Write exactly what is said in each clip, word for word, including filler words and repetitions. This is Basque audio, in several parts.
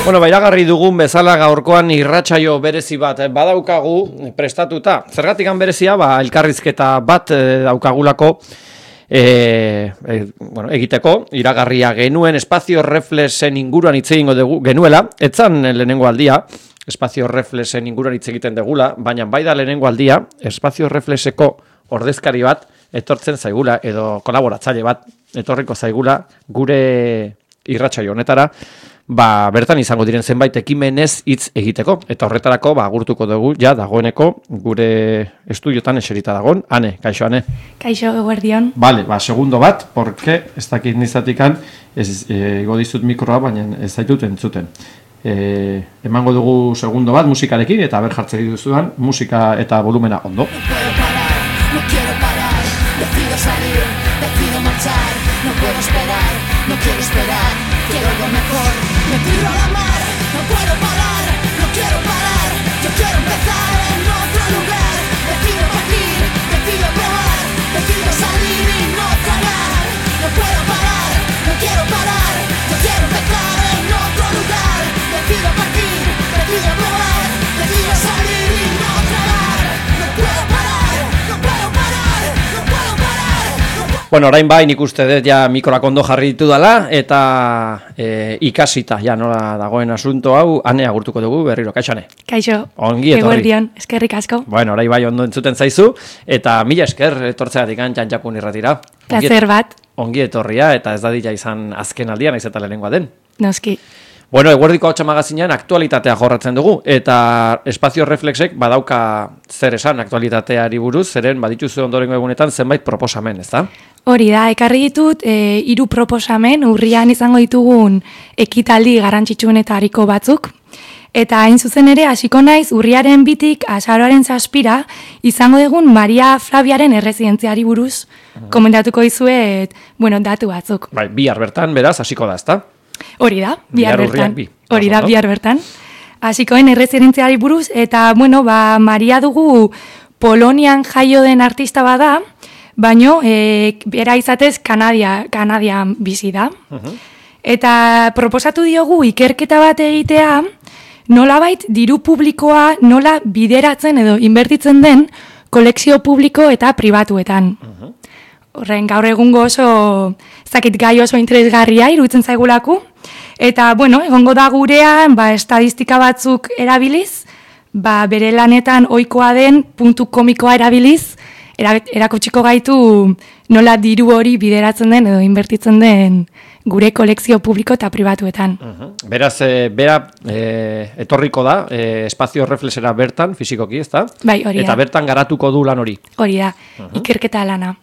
Bueno, bairagarri dugun bezala gaurkoan irratsaio berezi bat badaukagu prestatuta. Zergatikan berezia, ba, elkarrizketa bat e, daukagulako e, e, bueno, egiteko, iragarria genuen espazio reflexen inguruan hitz egingo dugu genuela, etzan lehenengo aldia, espazio reflexen inguruan hitz egiten degula, baina bai da lehenengo aldia, espazio reflexeko ordezkari bat etortzen zaigula, edo kolaboratzaile bat etorriko zaigula gure irratsaio honetara, ba, bertan izango diren zenbait ekimenez hitz egiteko. Eta horretarako, ba, agurtuko dugu, ja, dagoeneko, gure estudiotan eserita dagoen. Ane, kaixo, Ane. Kaixo, eguerdion. Vale, ba, segundo bat, porque ez dakit nizatikan, ez ego dizut mikroa, baina ez zaitut entzuten. E, emango dugu segundo bat, musikarekin, eta ber jartzen duzuan, musika eta volumena ondo. No puedo parar, no quiero parar, decido salir, decido marchar, no puedo esperar, no quiero esperar, quiero algo mejor, me tiro a la mar, no puedo parar, no quiero parar, yo quiero empezar en otro lugar, decido partir, decido probar, decido salir y no parar, no puedo parar, no quiero parar, yo quiero empezar en otro lugar, decido partir, decido probar, decido salir y no parar, no puedo parar, no puedo parar, no puedo parar, no puedo... Bueno, orain bai nik uste dut ja mikroak ondo jarri ditu dela, eta e, ikasita, ja nola dagoen asunto hau, Ane agurtuko dugu berriro, kaixo Ane. Kaixo, Ongi etorri. eguerdion, eskerrik asko. Bueno, orai bai ondo entzuten zaizu, eta mila esker etortzeatik Jantjakun irratira. Plazer bat, Ongi etorria, eta ez dadila izan azken aldia, naiz eta lehenengoa den. noski. Bueno, eguerdiko hotxa magazinean aktualitatea jorratzen dugu, eta espazio reflexek badauka zer esan aktualitateari buruz, zeren badituzu ondorengo egunetan zenbait proposamen, ez da? Hori da, ekarri ditut e, hiru proposamen urrian izango ditugun ekitaldi garrantzitsuenetariko batzuk. Eta hain zuzen ere, hasiko naiz urriaren bitik azaroaren zazpira izango dugun Maria Flaviaren erresidentziari buruz komentatuko dizuet, bueno, datu batzuk. Bai, bihar bertan, beraz, hasiko da, ez da? Hori da, bihar Bihar urrian bertan. bi. Hori da, Oso, no? bihar bertan. Hasikoen erresidentziari buruz, eta, bueno, ba, Maria dugu Polonian jaio den artista bada, baino, e, bera izatez Kanadia, Kanadian bizi da. Uh-huh. Eta proposatu diogu ikerketa bat egitea, nolabait diru publikoa nola bideratzen edo inbertitzen den kolekzio publiko eta pribatuetan. Uh-huh. Horren gaur egungo oso, zakit gai oso interesgarria iruditzen zaigulaku. Eta, bueno, egongo da gurean, ba, estadistika batzuk erabiliz, ba, bere lanetan ohikoa den puntu komikoa erabiliz, era, erakutsiko gaitu nola diru hori bideratzen den edo inbertitzen den gure kolekzio publiko eta pribatuetan. Uh-huh. Beraz, e, bera e, etorriko da, e, espazio reflexera bertan, fizikoki, ez da? Bai, hori da. Eta bertan garatuko du lan hori. Hori da, Uh-huh. ikerketa lana.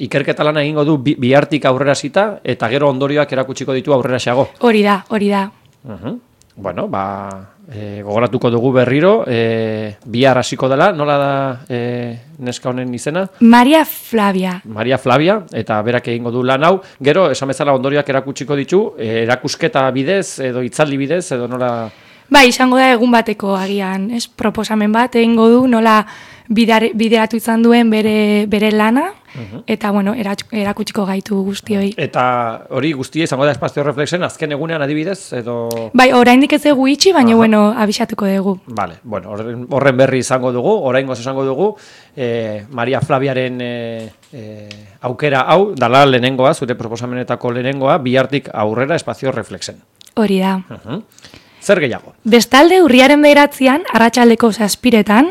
Ikerketa lana egingo du bi, bihartik aurrera zita, eta gero ondorioak erakutsiko ditu aurrera xago. Hori da, hori da. Uh-huh. Bueno, ba, e, gogoratuko dugu berriro, e, bihar hasiko dela, nola da e, neska honen izena? Maria Flavia. Maria Flavia, eta berak egingo du lan hau, gero, esan bezala ondorioak erakutsiko ditu, e, erakusketa bidez, edo hitzaldi bidez, edo nola... Bai, izango da egun bateko agian, ez? Proposamen bat egingo du nola bidare, bideratu izan duen bere, bere lana, Uh-huh. eta, bueno, erakutsiko gaitu guztioi. Eta hori guztia izango da espazio reflexen, azken egunean adibidez, edo... Bai, oraindik ez dugu itxi, baina, Aha. bueno, abisatuko dugu. Vale, bueno, horren, horren berri izango dugu, oraingoz esango dugu, eh, Maria Flaviaren eh, eh, aukera hau, dala lehenengoa, zure proposamenetako lehenengoa, bihartik aurrera espazio reflexen. Hori da. Uh-huh. Zer gehiago? Bestalde, urriaren bederatzian, arratsaldeko zazpiretan,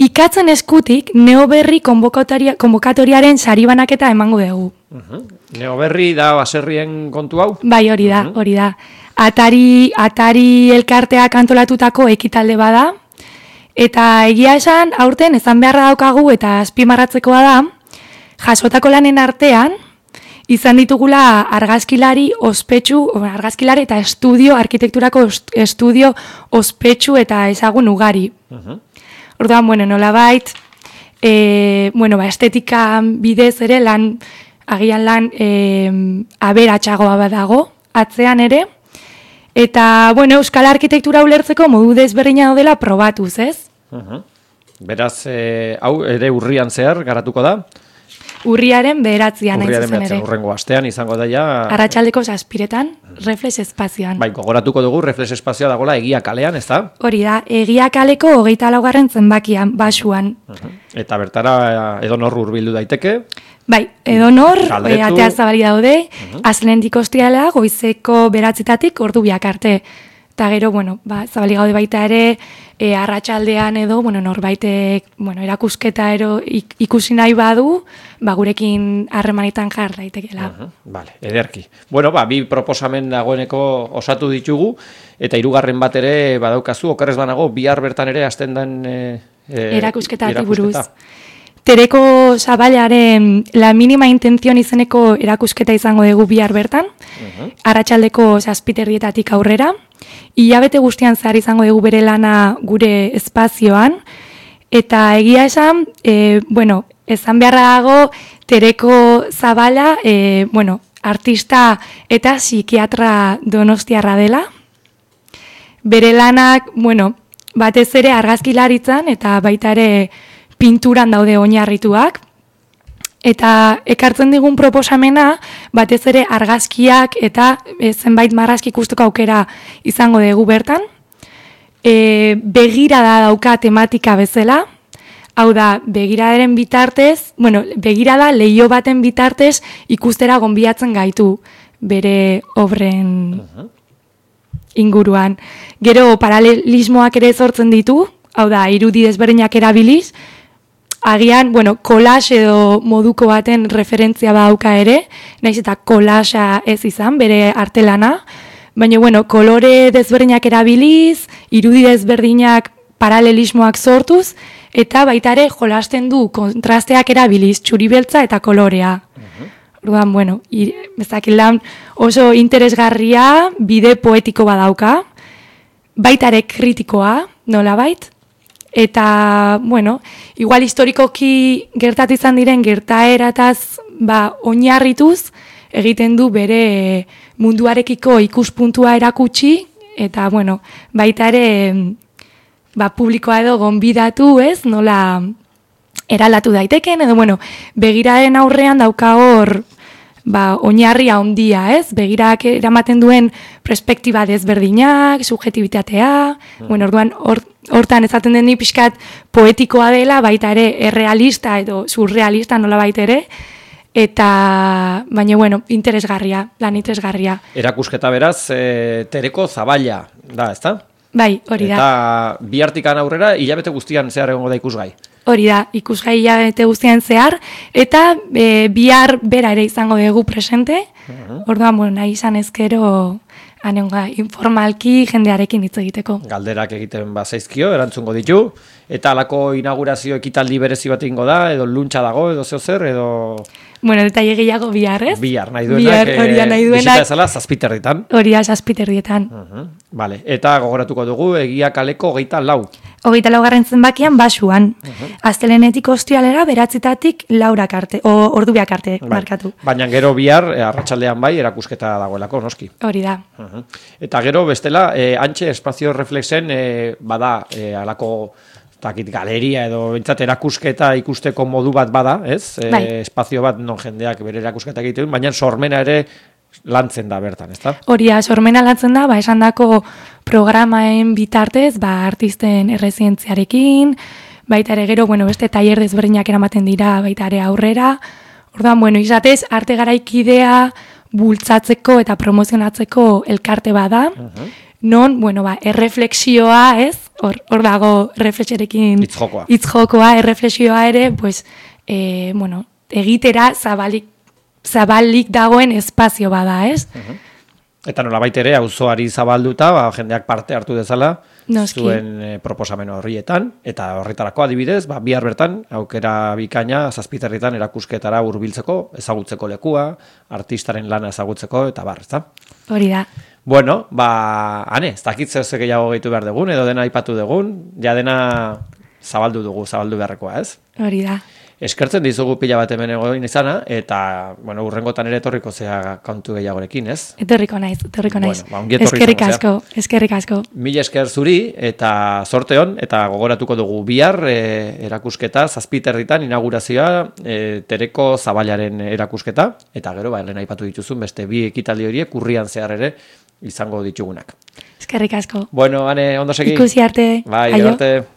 ikatzen eskutik neoberri konbokatoriaren sari banaketa emango dugu. Uh-huh. Neoberri da baserrien kontu hau? Bai, hori da, hori da. Atari, atari elkarteak antolatutako ekitalde bada, eta egia esan, aurten ezan beharra daukagu eta azpimarratzekoa da, jasotako lanen artean, izan ditugula argazkilari ospetsu, argazkilari eta estudio, arkitekturako estudio ospetsu eta ezagun ugari. Uh-huh. Orduan, bueno, nolabait, e, bueno, ba, estetika bidez ere lan, agian lan e, aberatsagoa badago, atzean ere, eta, bueno, euskal arkitektura ulertzeko modu desberdina daudela probatuz, ez? Uh-huh. Beraz, e, hau ere urrian zehar garatuko da? urriaren bederatzian hain Urriaren zuzen behatzean, ere. urrengo astean izango daia. Arratsaldeko zazpiretan, Reflex espazioan. Bai, gogoratuko dugu Reflex espazioa dagoela Egia kalean, ez da? Hori da, Egia kaleko hogeita laugarren zenbakian, basuan. Eta bertara edo nor hurbildu daiteke. Bai, edo nor, Galdetu. e, atea zabali daude, uh -huh. Azlenetik ostiala, goizeko beratzetatik ordu biak arte. Eta gero, bueno, ba, zabali gaude baita ere, e, arratsaldean edo, bueno, norbaitek, bueno, erakusketa ero ik, ikusi nahi badu, ba, gurekin harremanetan jar daitekela. Uh -huh. Vale, ederki. Bueno, ba, bi proposamen dagoeneko osatu ditugu, eta hirugarren bat ere badaukazu, okerrez banago, bihar bertan ere hasten den e, e, erakusketatik buruz. Tereko Zabalaren La Mínima Intención izeneko erakusketa izango dugu bihar bertan, uh-huh. Arratsaldeko zazpiterdietatik aurrera, hilabete guztian zehar izango dugu bere lana gure espazioan, eta egia esan, e, bueno, esan beharra dago Tereko Zabala, e, bueno, artista eta psikiatra donostiarra dela, bere lanak, bueno, batez ere argazkilaritzan eta baita ere pinturan daude oinarrituak, eta ekartzen digun proposamena batez ere argazkiak eta e, zenbait marrazki ikusteko aukera izango dugu bertan. E, begirada dauka tematika bezala, hau da, begiradaren bitartez, bueno, begirada leio baten bitartez ikustera gonbidatzen gaitu bere obren inguruan. Gero paralelismoak ere sortzen ditu, hau da, irudi desberdinak erabiliz, agian, bueno, collage edo moduko baten referentzia badauka ere, naiz eta collagea ez izan, bere artelana, baina, bueno, kolore desberdinak erabiliz, irudi desberdinak paralelismoak sortuz, eta baita ere jolasten du kontrasteak erabiliz, txuri-beltza eta kolorea. Orduan, bueno, bezakilan oso interesgarria, bide poetiko badauka, baita ere kritikoa, nolabait, eta, bueno, igual historikoki gertatu izan diren gertaerataz ba, oinarrituz egiten du bere munduarekiko ikuspuntua erakutsi, eta, bueno, baita ere ba, publikoa edo gonbidatu, ez, nola eralatu daiteken, edo, bueno, begiraren aurrean dauka hor ba, oinarria handia, ez? Begirak eramaten duen perspektiba desberdinak, subjetibitatea, mm. bueno, orduan, hor, hortan ezaten den ni pixkat poetikoa dela, baita ere errealista edo surrealista nola baita ere, eta, baina, bueno, interesgarria, lan interesgarria. Erakusketa beraz, e, Tereko Zabala da, ezta? Bai, hori da. Eta bi hartikan aurrera, hilabete guztian zehar egongo da ikusgai. Hori da, ikusgai hilabete guztian zehar, eta e, bihar bera ere izango dugu presente, uh-huh. Orduan, bueno, nahi izan ezkero, anenga, informalki jendearekin hitz egiteko. Galderak egiten bazaizkio, erantzungo ditu, eta alako inaugurazio ekitaldi berezi bat ingo da, edo luntxa dago, edo zeo zer, edo... Bueno, detaile gehiago bihar, ez? Bihar, nahi duenak, bihar, hori da, nahi duenak. Bizita ezala zazpiterritan. Hori da, zazpiterrietan. Uh-huh. Vale. Eta gogoratuko dugu, Egia kaleko hogeita lau. Hogeita laugarren zenbakian basuan. Uh-huh. Astelenetik ostialera beratzitatik laurak arte, o ordubiak arte, bai. Markatu. Baina gero bihar, eh, arratsaldean bai, erakusketa dagoelako, noski. Hori da. Uh-huh. Eta gero, bestela, eh, antxe espazio reflexen, eh, bada, eh, alako... Takit galeria edo bintzat erakusketa ikusteko modu bat bada, ez? Bai. E, espazio bat non jendeak bere erakusketa egiten, baina sormena ere lantzen da bertan, ezta? Horia, sormena lantzen da, ba, esandako programaen bitartez, ba, artisten errezientziarekin, baita ere gero, bueno, beste tailer desberdinak eramaten dira, baita ere aurrera. Orduan, bueno, izatez, arte garaikidea bultzatzeko eta promozionatzeko elkarte bada, uh-huh. Non, bueno, ba, erreflexioa, ez? Hor, hor dago reflexerekin itzjokoa. Itzjokoa, erreflexioa ere, pues, e, bueno, egitera zabalik, zabalik dagoen espazio bada, ez? Uh-huh. Eta nolabait ere, auzoari zabalduta, ba, jendeak parte hartu dezala, Noski. Zuen e, proposamen horrietan, eta horretarako adibidez, ba, bihar bertan, aukera bikaina, zazpiterritan erakusketara hurbiltzeko, ezagutzeko lekua, artistaren lana ezagutzeko, eta bar, ezta? Hori da. Bueno, ba, ane, ez dakit zer gehiago gehitu behar dugun, edo dena aipatu dugun, ja dena zabaldu dugu, zabaldu beharrekoa, ez? Hori da. eskertzen dizugu pila bat hemen egoin izana, eta, bueno, urrengotan ere etorriko zea kontu gehiagorekin, ez? Etorriko naiz, etorriko naiz. Bueno, ba, ongi etorri eskerrik izango asko, eskerrik asko. Mila esker zuri, eta zorte hon, eta gogoratuko dugu bihar e, erakusketa, zazpiterritan inaugurazioa, e, Tereko Zabalaren erakusketa, eta gero, ba, lehen aipatu dituzun, beste bi ekitaldi horiek urrian zehar ere izango ditugunak. Eskerrik asko. Bueno, ane, ondo segi? Ikusi arte. Bai, Aio. arte.